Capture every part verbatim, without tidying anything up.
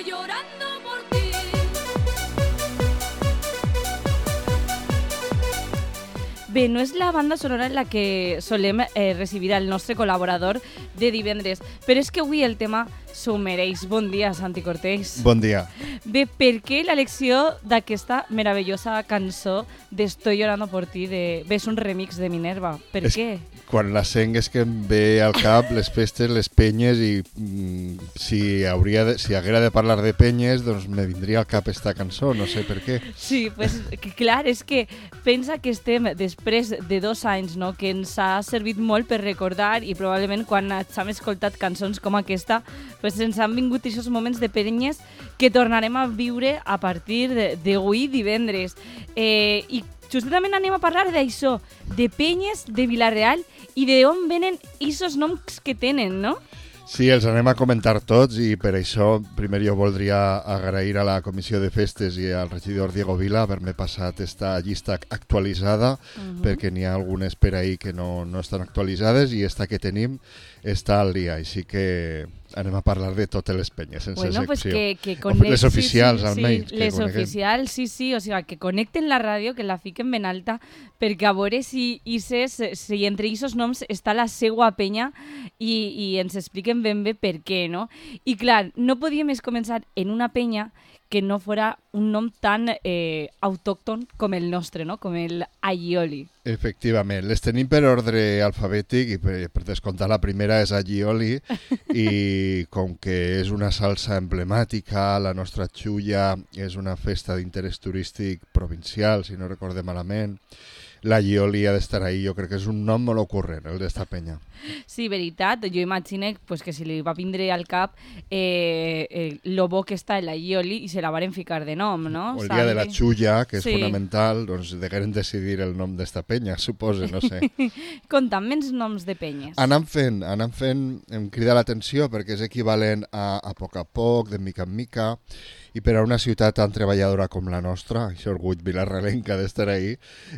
estoy llorando por ti. Bé, no és la banda sonora en la que solem eh, recibir el nostre col·laborador de divendres, però és que avui el tema s'ho mereix. Bon dia, Santi Cortés. Bon dia. Bé, per què l'elecció d'aquesta meravellosa cançó d'Estoy llorando por ti? De... Bé, és un remix de Minerva. Per és, què? Quan la sent és que em ve al cap les festes, les penyes i mm, si, hauria de, si haguera de parlar de penyes, doncs me vindria al cap esta cançó, no sé per què. Sí, pues, que, clar, és que pensa que estem després de dos anys, no?, que ens ha servit molt per recordar i probablement quan hem escoltat cançons com aquesta pues ens han vingut aquests moments de penyes que tornarem a viure a partir d'avui divendres. Eh, I justament anem a parlar d'això, de penyes de Vila-real i d'on venen aquests noms que tenen, no? Sí, els anem a comentar tots i per això primer jo voldria agrair a la Comissió de Festes i al regidor Diego Vila haver-me passat esta llista actualitzada, uh-huh. perquè n'hi ha algunes per ahí que no, no estan actualitzades i esta que tenim està al dia, així que anem a parlar de totes les penyes, sense bueno, secció. Pues que, que connect... Les oficials, sí, sí, almenys. Sí, les coneguem. oficials, sí, sí, o sigui, que connecten la ràdio, que la fiquen ben alta, perquè a veure si, ises, si entre aquests noms està la seua penya i, i ens expliquen ben bé per què, no? I clar, no podíem més començar en una penya que no fora un nom tan eh, autòcton com el nostre, no? Com el Aioli. Efectivament, les tenim per ordre alfabètic i per, per descomptar la primera és Aioli i com que és una salsa emblemàtica, la nostra xulla és una festa d'interès turístic provincial, si no recorde malament, l'Aioli ha d'estar ahí, jo crec que és un nom molt ocurrent, el d'esta penya. Sí, veritat, jo imagino pues, que si li va vindre al cap eh, eh, lo bo que està l'Aioli i se la varen ficar de nom, no? O el dia de la xulla, que és sí. fonamental, doncs degueren decidir el nom d'esta penya, suposo, no sé. Conta'm menys noms de penyes. Anant fent, anant fent, em crida l'atenció perquè és equivalent a, a poc a poc, de mica en mica, i per a una ciutat tan treballadora com la nostra, això orgull vilarrealenca d'estar ahí,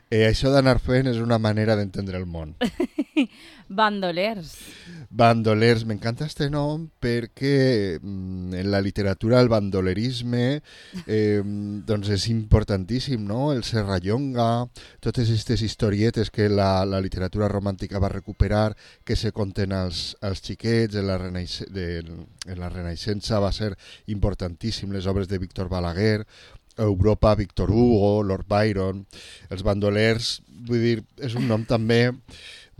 eh, això d'anar fent és una manera d'entendre el món. Bandolers. Bandolers, m'encanta este nom perquè mm, en la literatura el bandolerisme eh, doncs és importantíssim, no? El serrallonga, totes aquestes historietes que la, la literatura romàntica va recuperar, que se conten als, als xiquets, en la, renaic- de, en la Renaixença va ser importantíssim, les obres de Víctor Balaguer, Europa, Víctor Hugo, Lord Byron, els bandolers, vull dir, és un nom també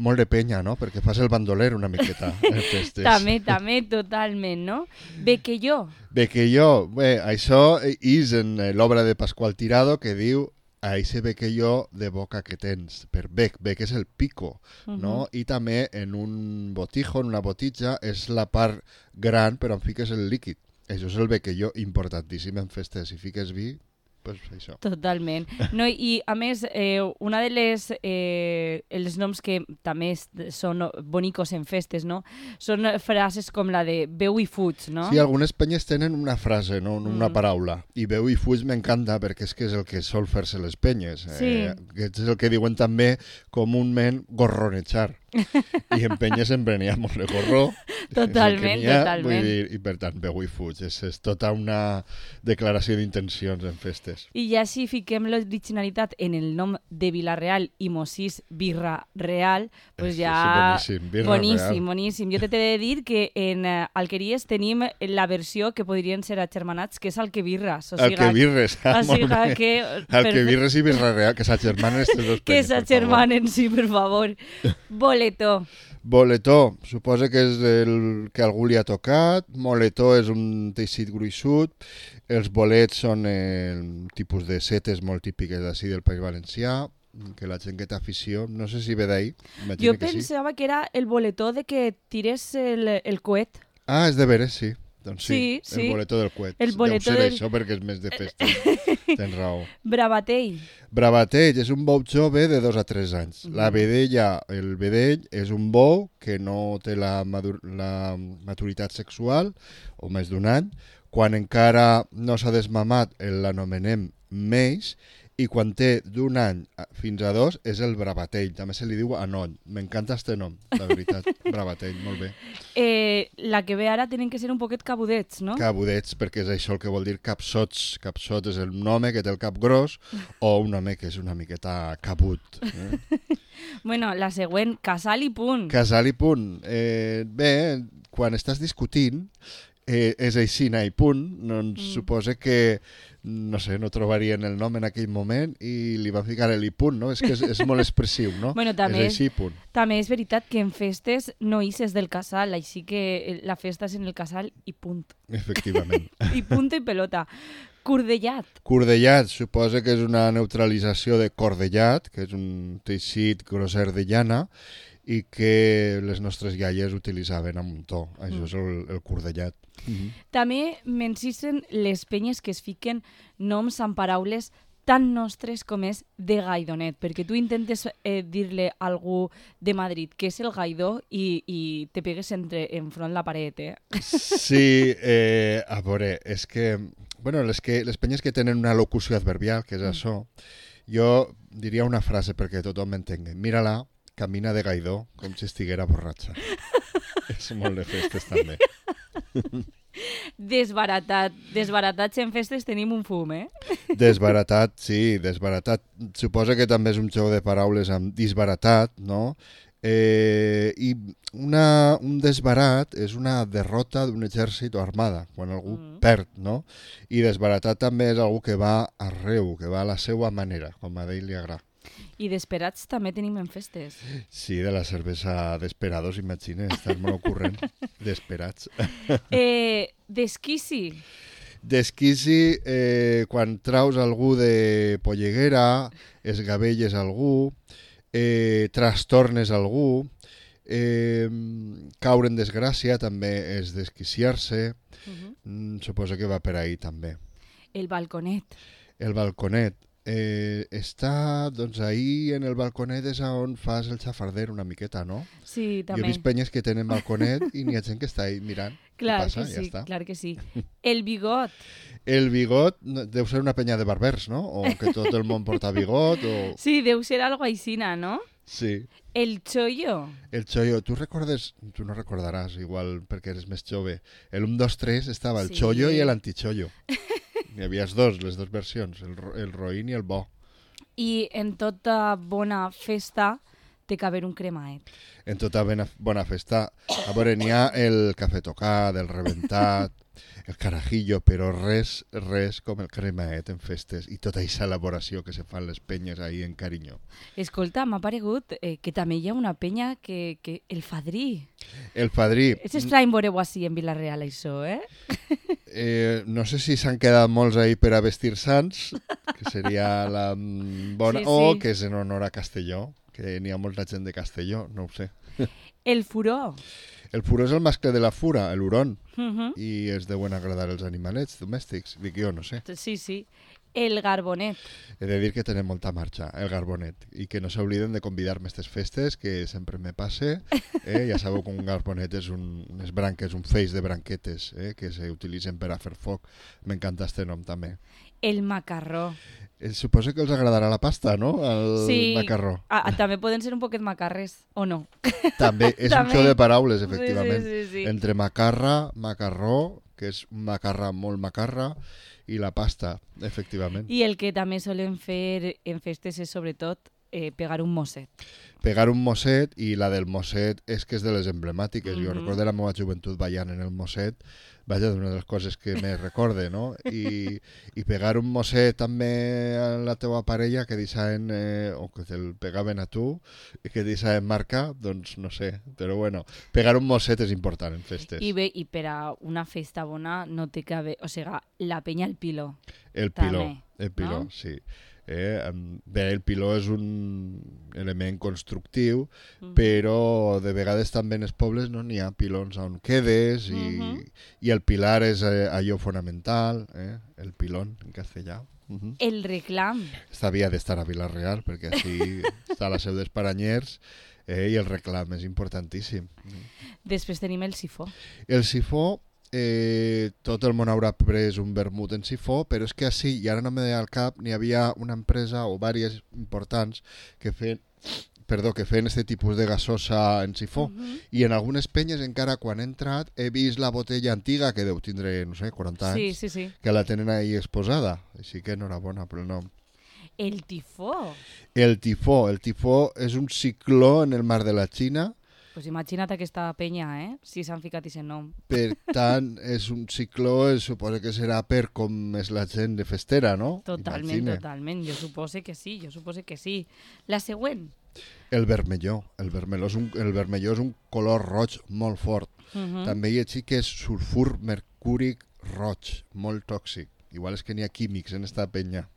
molt de penya, no? Perquè fas el bandoler una miqueta en festes. també, també, totalment, no? Bequelló. Bequelló, bé, això és en l'obra de Pasqual Tirado que diu a ese bequelló de boca que tens, per bec, bec és el pico, uh-huh. no? I també en un botijo, en una botitja, és la part gran però on fiques el líquid. Això és el bequelló importantíssim en festes. Si fiques vi, pues això. Totalment. No, i a més, eh, una de les eh, els noms que també són bonicos en festes, no? Són frases com la de beu i fuig, no? Sí, algunes penyes tenen una frase, no? Una mm. paraula. I beu i fuig m'encanta perquè és que és el que sol fer-se les penyes. Sí. Eh, és el que diuen també comúment gorronejar. I en penyes en venia molt de gorro. Totalment, ha, totalment. Vull dir, i per tant, beu i fuig. És, és tota una declaració d'intencions en festes. I ja si fiquem l'originalitat en el nom de Vila-real i Mosís Birra Real, pues ja... Sí, boníssim, Birra boníssim, Real. boníssim. Jo t'he de dir que en uh, Alqueries tenim la versió que podrien ser agermanats, que és Alquebirres. O sigui, Alquebirres, ah, o sigui molt bé. que... Alquebirres i Birra Real, que s'agermanen estes dos penyes, que s'agermanen, sí, per favor. Boletó. Boletó, suposa que és el que algú li ha tocat. Moletó és un teixit gruixut. Els bolets són eh, un tipus de setes molt típiques d'ací del País Valencià, que la gent que té afició, no sé si ve d'ahí. Jo pensava sí. que era el boletó de que tires el, el coet. Ah, és de veres, sí. Doncs sí, sí, sí. El boletó del coet. El boletó Deu ser del... això perquè és més de festa. Tens raó. Bravatell. Bravatell és un bou jove de dos a tres anys. Mm. La vedella, el vedell, és un bou que no té la, madur la maturitat sexual, o més d'un any. Quan encara no s'ha desmamat, l'anomenem meix, i quan té d'un any fins a dos és el bravatell, també se li diu anoll. M'encanta este nom, la veritat, bravatell, molt bé. Eh, la que ve ara tenen que ser un poquet cabudets, no? Cabudets, perquè és això el que vol dir capsots. Capsot és un home que té el cap gros o un home que és una miqueta cabut. Eh? Bueno, la següent, casal i punt. Casal i punt. Eh, bé, quan estàs discutint, eh, és aixina i punt, doncs mm. suposa que no sé, no trobarien el nom en aquell moment i li van ficar el i punt, no? És que és, és molt expressiu, no? Bueno, també és així, punt. També és veritat que en festes no ixes del casal, així que la festa és en el casal i punt. Efectivament. I punt i pelota. Cordellat. Cordellat, suposa que és una neutralització de cordellat, que és un teixit grosser de llana, i que les nostres iaies utilitzaven amb un to. Això mm. és el, el cordellat. Mm-hmm. També m'encisen les penyes que es fiquen noms amb paraules tan nostres com és de gaidonet, perquè tu intentes eh, dir-li a algú de Madrid que és el gaidó i, i te pegues entre, enfront la paret, eh? Sí, eh, a veure, és que, bueno, les, que, les penyes que tenen una locució adverbial, que és mm. això, jo diria una frase perquè tothom m'entengui. Mira-la, camina de gaidó, com si estiguera borratxa. És molt de festes, també. Desbaratat. Desbaratats en festes tenim un fum, eh? Desbaratat, sí, desbaratat. Suposa que també és un joc de paraules amb disbaratat, no? Eh, I una, un desbarat és una derrota d'un exèrcit o armada, quan algú mm. perd, no? I desbaratat també és algú que va arreu, que va a la seva manera, com a d'ell li agrada. I desperats també tenim en festes. Sí, de la cervesa Desperados, imagina, estàs molt ocurrent. Desperats. Eh, desquici. Desquici, eh, quan traus algú de polleguera, esgavelles algú, eh, trastornes algú, eh, caure en desgràcia també és desquiciar-se. Uh-huh. mm, suposo que va per ahí també. El balconet. El balconet. Eh, està, doncs, ahir en el balconet és on fas el xafarder una miqueta, no? Sí, també. Jo he vist penyes que tenen balconet i n'hi ha gent que està ahí mirant. Clar passa, que ja sí, està. clar que sí. El bigot. El bigot deu ser una penya de barbers, no? O que tot el món porta bigot, o... Sí, deu ser algo aixina, no? Sí. El chollo. El chollo. Tu recordes, tu no recordaràs, igual perquè eres més jove, el un, dos, tres estava el sí. chollo i l'antichollo. Hi havia dos, les dues versions, el, el roïn i el bo. I en tota bona festa té que haver un cremaet. En tota bona, bona festa. A veure, n'hi ha el cafè tocat, el reventat, el carajillo, però res, res com el cremaet en festes i tota aquesta elaboració que se fan les penyes ahí en carinyo. Escolta, m'ha paregut eh, que també hi ha una penya que... que el fadrí. El fadrí. És estrany veure-ho així en Vila-real, això, eh? Eh, no sé si s'han quedat molts ahí per a vestir sants, que seria la bona, sí, sí. O que és en honor a Castelló, que n'hi ha molta gent de Castelló, no ho sé. El furó. El furó és el mascle de la fura, el hurón, uh-huh. i es deuen agradar els animalets domèstics, dic jo, no sé. Sí, sí. El garbonet. He de dir que tenen molta marxa, el garbonet, i que no s'obliden de convidar-me a aquestes festes, que sempre me passe. Eh? Ja sabeu que un garbonet és un, unes branques, un feix de branquetes eh? que s'utilitzen per a fer foc. M'encanta este nom també. El macarró. Eh, suposo que els agradarà la pasta, no? El sí. macarró. Ah, també poden ser un poquet macarres, o no? També, és també. Un xou de paraules, efectivament. Sí, sí, sí, sí. Entre macarra, macarró, que és un macarra molt macarra, i la pasta, efectivament. I el que també solen fer en festes és, sobretot, eh, pegar un mosset. Pegar un mosset, i la del mosset és que és de les emblemàtiques. Mm-hmm. Jo recordo la meva joventut ballant en el mosset, vaja, d'una de les coses que me recorde, no? I, i pegar un mosset també a la teua parella que deixaven, eh, o que te'l pegaven a tu, i que deixaven marca, doncs no sé. Però bueno, pegar un mosset és important en festes. I bé, i per a una festa bona no té que haver... O sigui, la penya al piló. El piló, també, el piló, no? Sí. Eh, bé, el piló és un element constructiu, uh-huh. però de vegades també en els pobles no n'hi ha pilons on quedes i, uh-huh. i el pilar és eh, allò fonamental, eh? El pilón en castellà. Uh-huh. El reclam. Esta havia d'estar a Vila-real perquè així està la seu dels Paranyers eh? I el reclam és importantíssim. Després tenim el sifó. El sifó eh, tot el món haurà pres un vermut en sifó, però és que així, i ara no me ve al cap, n'hi havia una empresa o diverses importants que feien perdó, que feien aquest tipus de gasosa en sifó. Uh-huh. I en algunes penyes, encara quan he entrat, he vist la botella antiga, que deu tindre, no sé, quaranta anys, sí, sí, sí. que la tenen ahí exposada. Així que enhorabona pel nom. El tifó. El tifó. El tifó és un cicló en el mar de la Xina. Pues imagina't aquesta penya, eh? Si s'han ficat aquest nom. Per tant, és un cicló, es suposa que serà per com és la gent de festera, no? Totalment, Imagine. totalment. Jo supose que sí, jo supose que sí. La següent. El vermelló. El vermelló és un, el vermelló és un color roig molt fort. Uh-huh. També hi ha que és sulfur mercúric roig, molt tòxic. Igual és que n'hi ha químics en esta penya.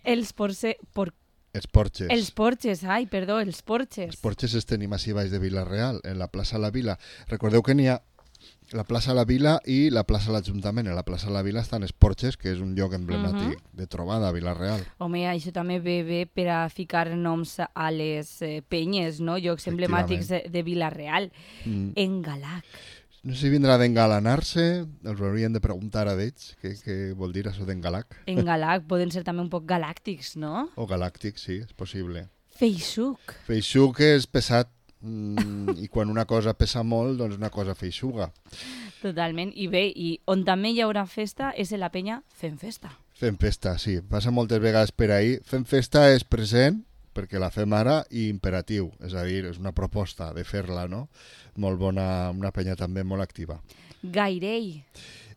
Els porce... Por... Els porxes. Els porxes, ai, perdó, els porxes. Els porxes els tenim així baix de Vila-real, en la plaça La Vila. Recordeu que n'hi ha la plaça La Vila i la plaça l'Ajuntament. En la plaça La Vila estan els porxes, que és un lloc emblemàtic uh-huh. de trobada a Vila-real. Home, això també ve bé per a ficar noms a les eh, penyes, no? Llocs emblemàtics de, de Vila-real. Mm. Engalac. No sé si vindrà d'engalanar-se, els hauríem de preguntar a d'ells què, què vol dir això d'engalac. Engalac, poden ser també un poc galàctics, no? O galàctics, sí, és possible. Feixuc. Feixuc és pesat, mm, i quan una cosa pesa molt, doncs una cosa feixuga. Totalment, i bé, i on també hi haurà festa és en la penya Fem Festa. Fem Festa, sí, passa moltes vegades per ahir. Fem Festa és present, perquè la fem ara, i imperatiu, és a dir, és una proposta de fer-la, no? Molt bona, una penya també molt activa. Gairell.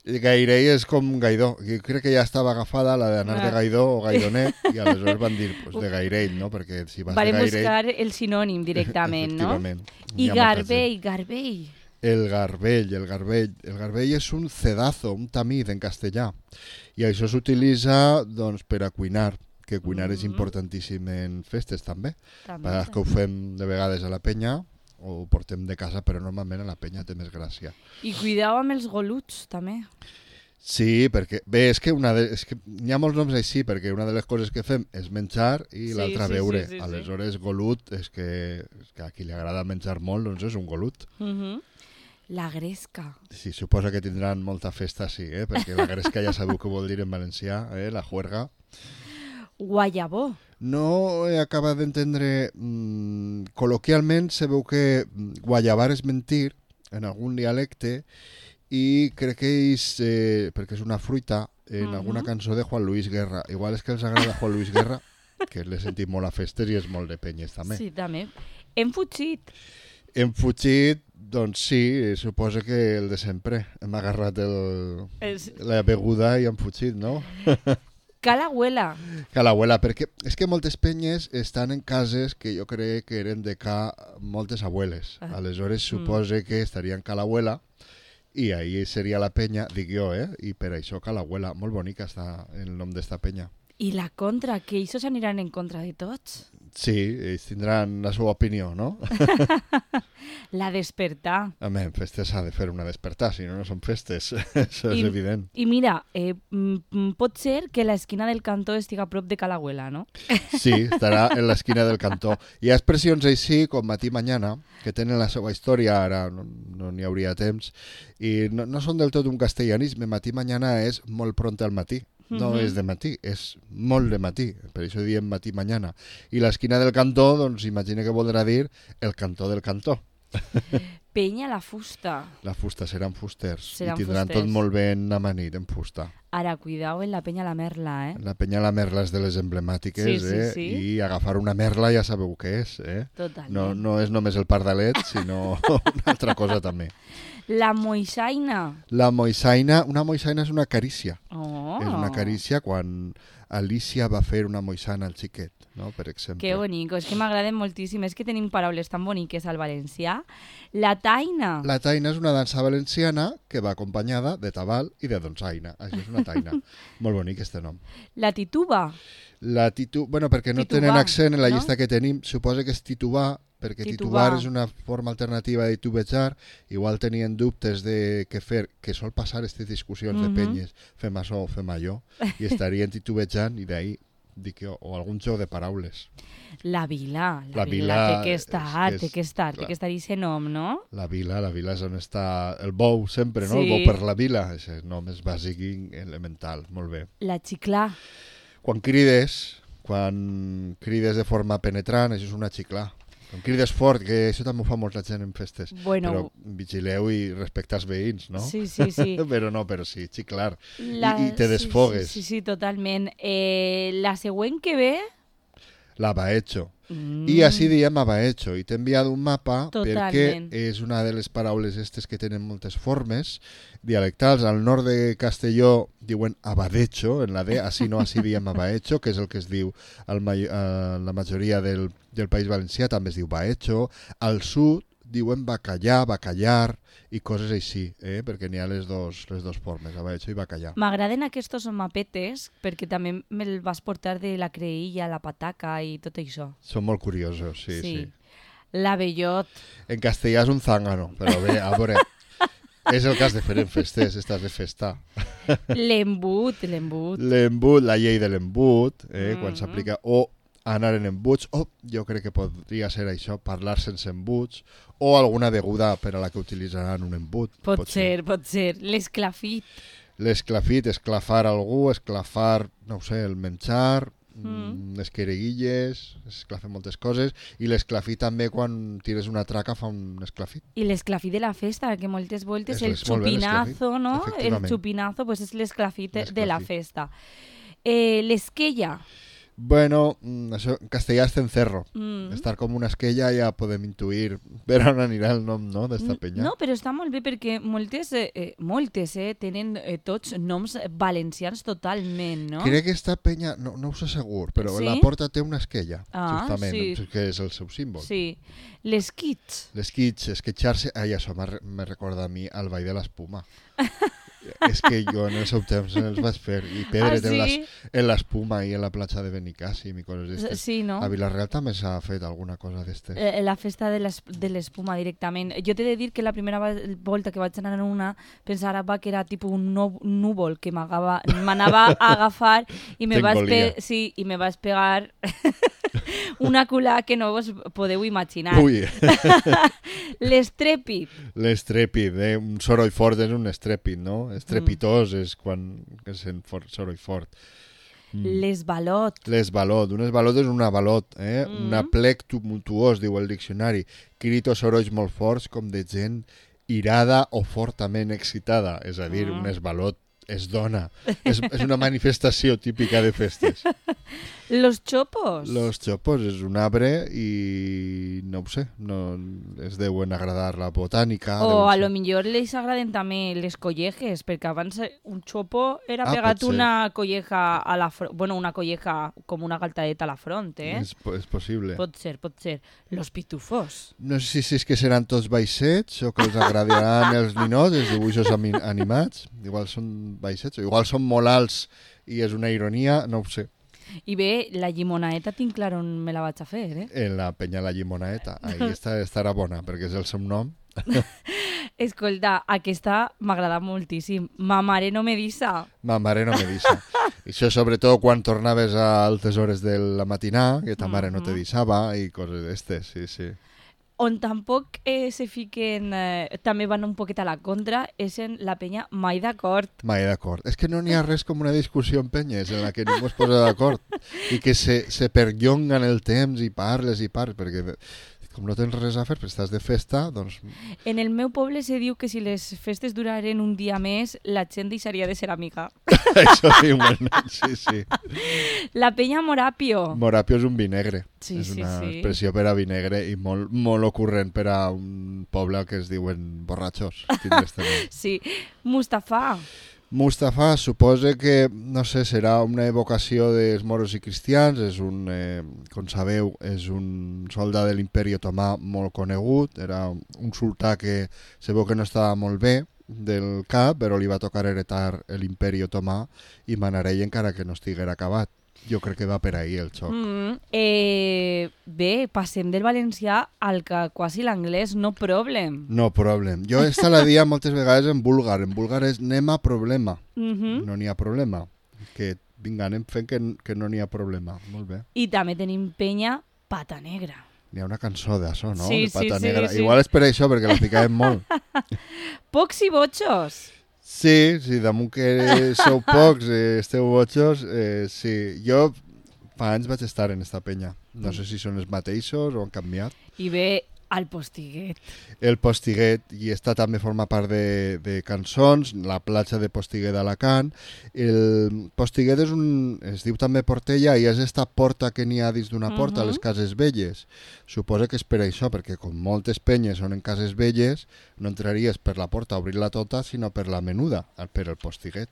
Gairell és com Gaidó. Jo crec que ja estava agafada la d'anar ah. de Gaidó o Gaidonet, i aleshores van dir pues, de Gairell, no? Perquè si vas Varen de Gairell... buscar el sinònim directament, no? I Garbell, Garbell. El garbell, el garbell. El garbell és un cedazo, un tamid en castellà. I això s'utilitza doncs, per a cuinar, que cuinar mm-hmm. és importantíssim en festes també. també. Perquè que ho fem de vegades a la penya, o ho portem de casa, però normalment a la penya té més gràcia. I cuidau amb els goluts, també. Sí, perquè... Bé, és que, una de, és que hi ha molts noms així, perquè una de les coses que fem és menjar i sí, l'altra sí, beure. Sí, sí, Aleshores, sí. golut, és que, és que a qui li agrada menjar molt, doncs és un golut. Mhm. La gresca. Sí, suposa que tindran molta festa, sí, eh? Perquè la gresca ja sabeu què vol dir en valencià, eh? La juerga. Guayabó. No he acabat d'entendre... Mmm, col·loquialment se veu que guayabar és mentir en algun dialecte i crec que és, eh, perquè és una fruita, en uh-huh. alguna cançó de Juan Luis Guerra. Igual és que els agrada Juan Luis Guerra, que l'he sentit molt a festes i és molt de penyes també. Sí, també. Hem fugit. Hem fugit, doncs sí, suposa que el de sempre. Hem agarrat el, es... la beguda i hem fugit, no? Calahuela. Calahuela, perquè és que moltes penyes estan en cases que jo crec que eren de ca moltes abueles. Ah. Aleshores suposa mm. que estarien Calahuela i ahí seria la penya, dic jo, eh? I per això Calahuela. Molt bonica està el nom d'esta penya. I la contra, que ells aniran en contra de tots? Sí, ells tindran la seva opinió, no? La despertar. Home, en festes s'ha de fer una despertar, si no, no són festes. Això és I, evident. I mira, eh, pot ser que l'esquina del cantó estiga a prop de Calahuela, no? Sí, estarà en l'esquina del cantó. Hi ha expressions així, com matí mañana, que tenen la seva història, ara no n'hi no hauria temps, i no, no són del tot un castellanisme. Matí mañana és molt pront al matí. No uh-huh. és de matí, és molt de matí, per això diem matí mañana. I l'esquina del cantó, doncs imagina que voldrà dir el cantó del cantó. Penya la fusta. La fusta, seran fusters. Seran I tindran fusters. tot molt ben amanit en fusta. Ara, cuidao en la penya la merla, eh? La penya la merla és de les emblemàtiques, sí, sí, eh? Sí. I agafar una merla ja sabeu què és, eh? Totalment. No, no és només el pardalet, sinó una altra cosa també. La moixaina. La moixaina, una moixaina és una carícia. Oh. És una carícia quan Alicia va fer una moixana al xiquet, no? Per exemple. Que bonico, és que m'agraden moltíssim. És que tenim paraules tan boniques al valencià. La taina. La taina és una dansa valenciana que va acompanyada de tabal i de donsaina. Això és una taina. Molt bonic este nom. La tituba. La titu... Bueno, perquè no titubar, tenen accent en la no? llista que tenim, suposa que és titubar, perquè titubar. titubar és una forma alternativa de titubejar. Igual tenien dubtes de què fer, que sol passar aquestes discussions mm-hmm. de penyes, fem això o fem allò, i estarien titubejant i d'ahir dic jo, o algun joc de paraules. La vila, la, La vila, vila té que és estar, que és- té que estar, té clar. que estar i ser nom, no? La vila, la vila és on està el bou sempre, no? Sí. El bou per la vila, és nom és bàsic i elemental, molt bé. La xiclà. Quan crides, quan crides de forma penetrant, això és una xiclà. Quan crides fort, que això també ho fa molta gent en festes. Bueno, Però vigileu i respecta els veïns, no? sí, sí, sí. Però no, però sí, xiclar. La... I, I te desfogues. Sí, sí, sí, totalment. Eh, la següent que ve... La baecho. Mm. I així diem abaecho. I t'he enviat un mapa Totalment. perquè és una de les paraules aquestes que tenen moltes formes dialectals. Al nord de Castelló diuen abadecho, en la D, així no, així diem abaecho, que és el que es diu al ma a la majoria del, del País Valencià, també es diu baecho. Al sud diuen bacallà, bacallar i coses així, eh? Perquè n'hi ha les dos, les dos formes, abaecho i bacallà. M'agraden aquests mapetes perquè també me'l vas portar de la creïlla, la pataca i tot això. Són molt curiosos, sí, sí. La bellot. En castellà és un zángano, però bé, a veure, és el que has de fer en festes, estàs de festa. L'embut, l'embut. L'embut, la llei de l'embut, eh, Mm. quan s'aplica, o anar en embuts, o jo crec que podria ser això, parlar sense embuts, o alguna beguda per a la que utilitzaran un embut. Pot, pot ser, ser, pot ser. L'esclafit. L'esclafit, esclafar algú, esclafar, no ho sé, el menjar, Mm. les quereguilles, esclafen moltes coses, i l'esclafit també quan tires una traca fa un esclafit. I l'esclafit de la festa, que moltes voltes Eso el és molt bé, xupinazo, l'esclafit, no? El efectivament. xupinazo pues és l'esclafit de la L'esclafit. festa. Eh, l'esquella. Bueno, mm, això en castellà és cencerro. Mm. Estar com una esquella ja podem intuir per on anirà el nom, no?, d'esta penya. No, però està molt bé perquè moltes, eh, eh, moltes eh, tenen eh, tots noms valencians totalment, no? Crec que esta penya, no, no ho sé segur, però Sí? la porta té una esquella, Ah, justament, sí. que és el seu símbol. Sí. L'esquits. L'esquitx, esquitxar-se... Ai, això me, me recorda a mi al Ball de l'Espuma. És que jo en el seu temps els vaig fer, i pedret Ah, en sí? les- en l'Espuma i en la platja de Benicàssim i coses d'estes. Sí, no? A Vilareal també s'ha fet alguna cosa d'estes. Eh, la festa de l'es- de l'espuma directament. Jo t'he de dir que la primera va- volta que vaig anar en una pensava que era tipus un no- núvol que m'agava- m'anava a agafar i me vas, T'engolia. pe sí, i me vas pegar una culà que no vos podeu imaginar. Ui, L'estrèpit. l'estrèpid, eh? Un soroll fort és un estrèpid, no? Estrepitós és quan es sent fort, soroll fort. Mm. L'esbalot. L'esbalot. Un esbalot és un avalot, eh? Mm. Un aplec tumultuós, diu el diccionari. Crit o sorolls molt forts com de gent irada o fortament excitada. És a dir, Mm. un esbalot es dona. És, és una manifestació típica de festes. Los chopos. Los chopos és un arbre i no ho sé, no, es deuen agradar la botànica. O deuen a ser- lo millor les agraden també les collejes, perquè abans eh, un chopo era Ah, pegat pot ser. una colleja a la front, bueno, una colleja com una galtadeta a la front, eh? És, po- és possible. Pot ser, pot ser. Los pitufos. No sé si és que seran tots baixets o que els agradaran els ninots, els dibuixos ami- animats. Igual són baixets, o igual són molt alts i és una ironia, no ho sé. I bé, la llimonaeta tinc clar on me la vaig a fer, eh? En la penya la llimonaeta. Ahí està, estarà bona, perquè és el seu nom. Escolta, aquesta m'agrada moltíssim. Ma mare no me disa. Ma mare no me disa. Això sobretot quan tornaves a altes hores de la matinà, que ta mare no te Mhm. disava i coses d'estes, sí, sí. On tampoc eh, se fiquen, eh, també van un poquet a la contra, és en la penya mai d'acord. Mai d'acord. És que no n'hi ha res com una discussió en penyes en la que ningú es posa d'acord i que se, se perllonguen el temps i parles i parles, perquè com no tens res a fer, però estàs de festa, doncs En el meu poble se diu que si les festes duraren un dia més, la gent deixaria de ser amiga. això diuen. Sí, sí. La penya Morapio. Morapio és un vi negre. Sí, és sí, una sí. expressió per a vi negre i molt, molt ocurrent per a un poble que es diuen borratxos. tindràs també. Sí. Mustafa. Mustafa suposa que, no sé, serà una evocació dels moros i cristians, és un, eh, com sabeu, és un soldat de l'imperi otomà molt conegut, era un sultà que se veu que no estava molt bé del cap, però li va tocar heretar l'imperi otomà i manar ell encara que no estiguera acabat. Jo crec que va per ahir el xoc. Mm, eh, bé, passem del valencià al que quasi l'anglès, no problem. No problem. Jo esta la dia moltes vegades en búlgar. En búlgar és nema problema. Mm -hmm. No n'hi ha problema. Que vinga, anem fent que, que no n'hi ha problema. Molt bé. I també tenim penya Pata Negra. N'hi ha una cançó d'això, no? Sí, de Pata sí, Negra. sí, sí. Igual és per això, perquè la ficàvem molt. Pocs i botxos. Sí, sí, damunt que sou pocs, eh, esteu botxos, eh, sí. Jo fa anys vaig estar en esta penya. No sé si són els mateixos o han canviat. I ve al Postiguet. El Postiguet, i esta també forma part de, de cançons, la platja de Postiguet d'Alacant. El Postiguet és un, es diu també Portella, i és esta porta que n'hi ha dins d'una porta, uh -huh. a les cases velles. Suposa que és per això, perquè com moltes penyes són en cases velles, no entraries per la porta a obrir-la tota, sinó per la menuda, per el Postiguet.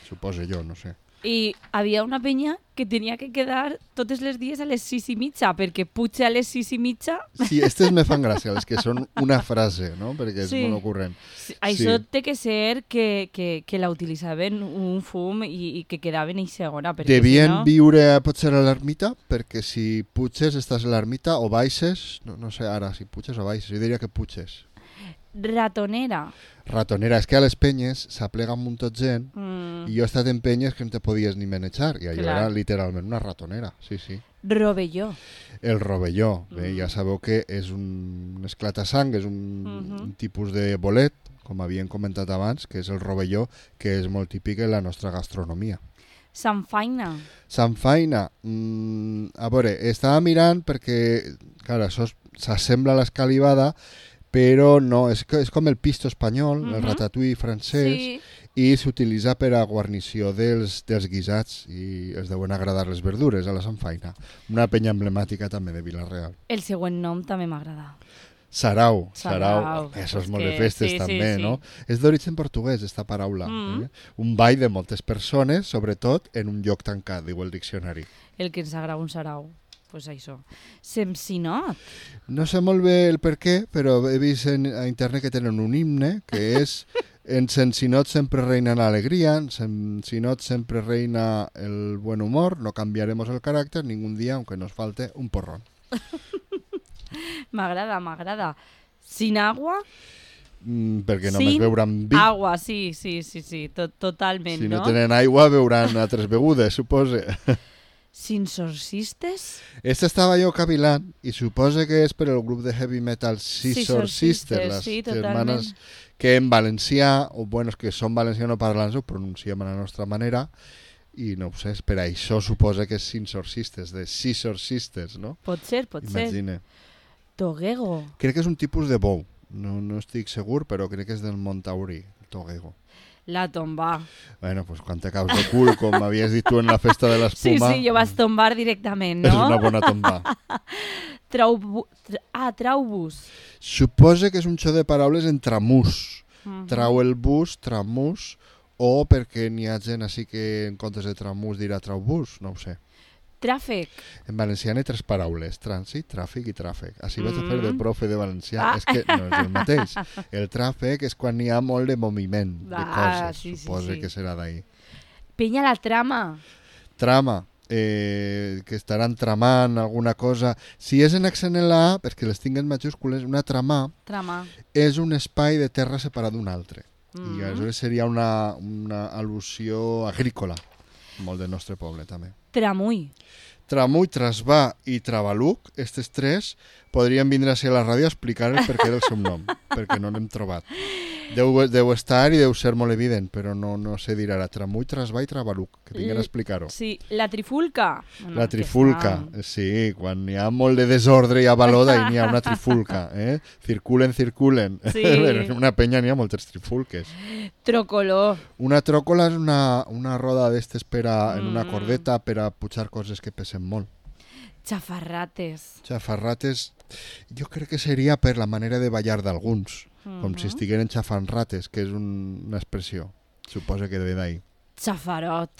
Suposo jo, no sé. I havia una penya que tenia que quedar totes les dies a les sis i mitja, perquè puja a les sis i mitja... Sí, aquestes me fan gràcia, les que són una frase, no? Perquè és sí. molt ocurrent. Sí, això sí. té que ser que, que, que la utilitzaven un fum i, i que quedaven i segona. Devien si no... viure potser a l'ermita, perquè si puges estàs a l'ermita o baixes, no, no sé ara si puges o baixes, jo diria que puges. Ratonera. Ratonera, és que a les penyes s'aplega un munt de gent mm. i jo he estat en penyes que no te podies ni manejar i allò Clar. era literalment una ratonera, sí, sí. Rovelló. El rovelló, bé, Mm. ja sabeu que és un, un esclatasang, és un, Mhm. un tipus de bolet, com havíem comentat abans, que és el rovelló, que és molt típic en la nostra gastronomia. Sanfaina. Sanfaina, mm, a veure, estava mirant perquè, clar, això s'assembla a l'escalivada, però no, és, és com el pisto espanyol, uh-huh. el ratatouille francès, Sí. i s'utilitza per a guarnició dels, dels guisats i es deuen agradar les verdures a la sanfaina. Una penya emblemàtica també de Vila-real. El següent nom també m'agrada. Sarau, Sarau. sarau, això és És molt que de festes sí, també, sí, no? sí. És d'origen portuguès, esta paraula. Mm. Eh? Un ball de moltes persones, sobretot en un lloc tancat, diu el diccionari. El que ens agrada un sarau. Pues això. Semsinot. No sé molt bé el per què, però he vist en, a internet que tenen un himne, que és en Sensinot sempre reina la alegría, en Sensinot sempre reina el buen humor, no cambiaremos el carácter ningún día, aunque nos falte un porrón. M'agrada, m'agrada. Sin agua? Mm, perquè només Sin beuran vi. Agua, sí, sí, sí, sí, to totalment, Si no, no? tenen aigua, beuran altres begudes, supose. Sin sorcistes? Esta estava jo cavilant i suposa que és per el grup de heavy metal Scissor Sisters, les sí, germanes que en valencià, o bueno, que són valencianoparlants, ho pronunciem a la nostra manera, i no ho sé, per això suposa que és Scissor Sisters, de Scissor Sisters, no? Pot ser, pot Imagina. ser. Toguego. Crec que és un tipus de bou, no, no estic segur, però crec que és del Mont Taurí, Toguego. La tomba. Bueno, pues quan t'acaus de cul, com havies dit tu en la festa de Sí, l'espuma, sí, jo vas tombar directament, no? és una bona tomba. Traubu... Tra... Ah, traubus. Suposa que és un xo de paraules en tramús. Mhm. Trau el bus, tramús, o perquè n'hi ha gent així que en comptes de tramús dirà traubús, no ho sé. Tràfic. En valencià hi ha tres paraules, trànsit, tràfic i tràfic. Així vaig a fer de Mm. profe de valencià, Ah. és que no és el mateix. El tràfic és quan n'hi ha molt de moviment, de Ah, coses, sí, sí, suposa sí. que serà d'ahir. Penya la trama. Trama, eh, que estaran tramant alguna cosa. Si és en accent en la A, perquè les tinc en majúscules, una trama Trama. és un espai de terra separat d'un altre. Mm. I aleshores seria una, una al·lusió agrícola, molt del nostre poble també. Tramull. Tramull, Trasbà i Travaluc, aquests tres, podrien vindre a ser a la ràdio a explicar el perquè del seu nom, perquè no l'hem trobat. Deu, deu estar i deu ser molt evident, però no, no sé dir ara. Tramull, Trasbà i Travaluc, que tinguin a explicar-ho. Sí, la trifulca. Bueno, La trifulca, que sí, quan hi ha molt de desordre i avalota i n'hi ha una trifulca, eh? Circulen, circulen. Sí. En una penya n'hi ha moltes trifulques. està. Trocolor. Una tròcola és una, una roda d'estes per a, en una Mm. cordeta per a pujar coses que pesen molt. Xafarrates. Xafarrates, jo crec que seria per la manera de ballar d'alguns, com si Mhm. estigueren xafant rates, que és un, una expressió, suposa que ve d'ahir. Xafarot.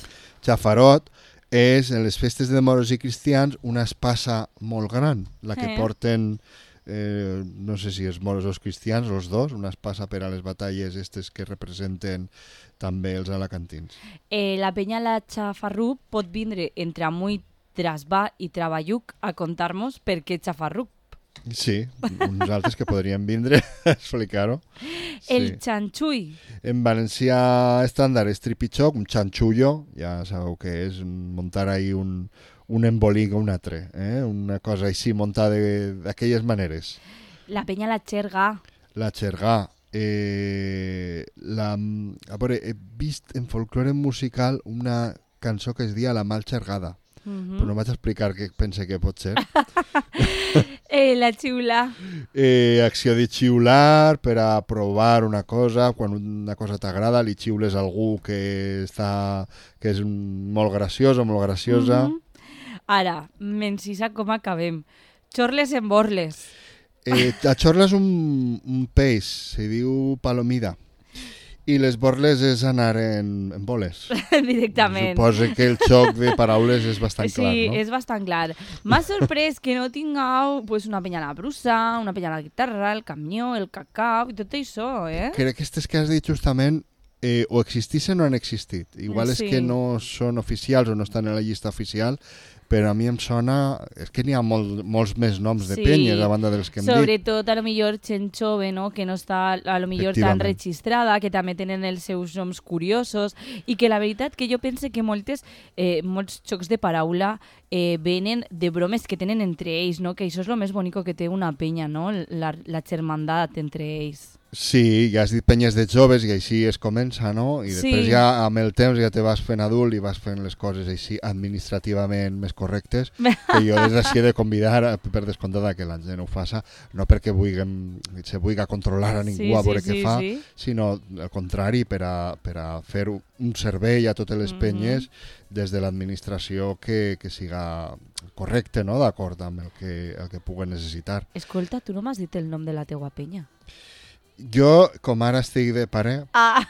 Xafarot és, en les festes de moros i cristians, una espasa molt gran, la que Eh. porten, eh, no sé si els moros o els cristians, els dos, una espasa per a les batalles estes que representen també els alacantins. Eh, la penya la Xafarrup pot vindre entre Amuy, Trasbà i Traballuc a contar-nos per què Xafarrup. Sí, uns altres que podrien vindre a explicar-ho. Sí. El xanxui. En valencià estàndard és tripitxoc, un xanxullo, ja sabeu què és, muntar ahí un, un embolic o un altre, eh? Una cosa així muntada d'aquelles maneres. La penya la xerga. La xergà. Eh, la, a veure, he vist en folklore musical una cançó que es dia La mal xergada, Uh-huh. però no vaig explicar què pense que pot ser. eh, la xiula. Eh, acció de xiular per a provar una cosa, quan una cosa t'agrada li xiules a algú que, està, que és molt graciós o molt graciosa. Uh-huh. Ara, m'encisa com acabem. Xorles en borles. Eh, la xorla és un, un peix, se diu palomida. I les borles és anar en, en boles. Directament. Suposo que el xoc de paraules és bastant sí, clar, no? Sí, és bastant clar. M'ha sorprès que no tingueu pues, una penya a la brusa, una penya a la guitarra, el camió, el cacau i tot això, eh? Crec que aquestes que has dit justament eh, o existissin o han existit. Igual Sí. és que no són oficials o no estan en la llista oficial, però a mi em sona... És que n'hi ha molt, molts més noms de Sí. penyes a banda dels que hem dit. Sobretot a lo millor gent jove, no? Que no està a lo millor tan Efectivament. registrada, que també tenen els seus noms curiosos i que la veritat que jo pense que moltes, eh, molts xocs de paraula eh, venen de bromes que tenen entre ells, no? Que això és lo més bonic que té una penya, no? La, la germandat entre ells. Sí, ja has dit penyes de joves i així es comença, no? I després Sí. ja amb el temps ja te vas fent adult i vas fent les coses així administrativament més correctes, que jo des d'ací he de convidar a- per descomptat que la gent ho faça, no perquè vulguem, se vulgui controlar a ningú Sí, a veure sí, què sí, fa, sí. sinó al contrari, per a, per a fer un servei a totes les Mhm. penyes des de l'administració que, que siga correcte, no? D'acord amb el que, el que puguen necessitar. Escolta, tu no m'has dit el nom de la teua penya. Jo, com ara estic de pare, Ah,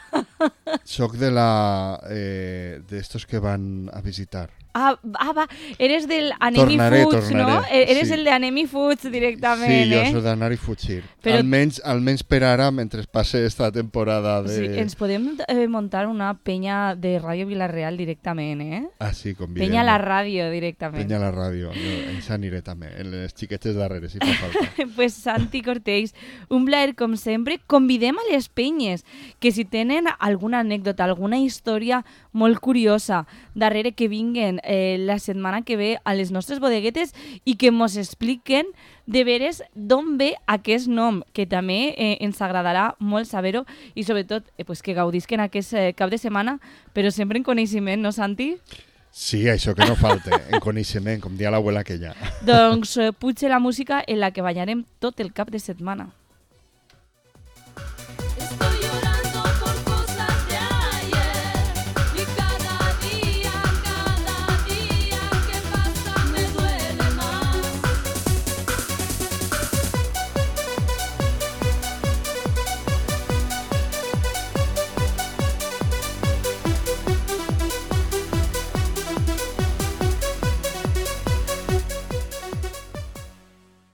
soc de la eh, d'estos que van a visitar. ah, ah va, eres del Anemi Tornaré, Foods, tornaré, no? E- Eres sí. el de Anemi Foods directament, Sí, jo eh? soc d'anar i fugir. Però- Almenys, almenys per ara, mentre passe esta temporada de... Sí, ens podem eh, muntar una penya de Ràdio Vilareal directament, eh? Ah, sí, convidem. Penya a la ràdio directament. Penya a la ràdio. Jo, ens aniré també, en les xiquetes darrere, si fa falta. Pues Santi Cortells, un plaer com sempre. Convidem a les penyes que si tenen alguna anècdota, alguna història molt curiosa darrere que vinguen eh, la setmana que ve a les nostres bodeguetes i que mos expliquen de veres d'on ve aquest nom, que també eh, ens agradarà molt saber-ho i sobretot eh, pues, que gaudisquen aquest eh, cap de setmana, però sempre en coneixement, no Santi? Sí, això que no falte, en coneixement, com dia l'abuela aquella. Doncs eh, potser la música en la que ballarem tot el cap de setmana.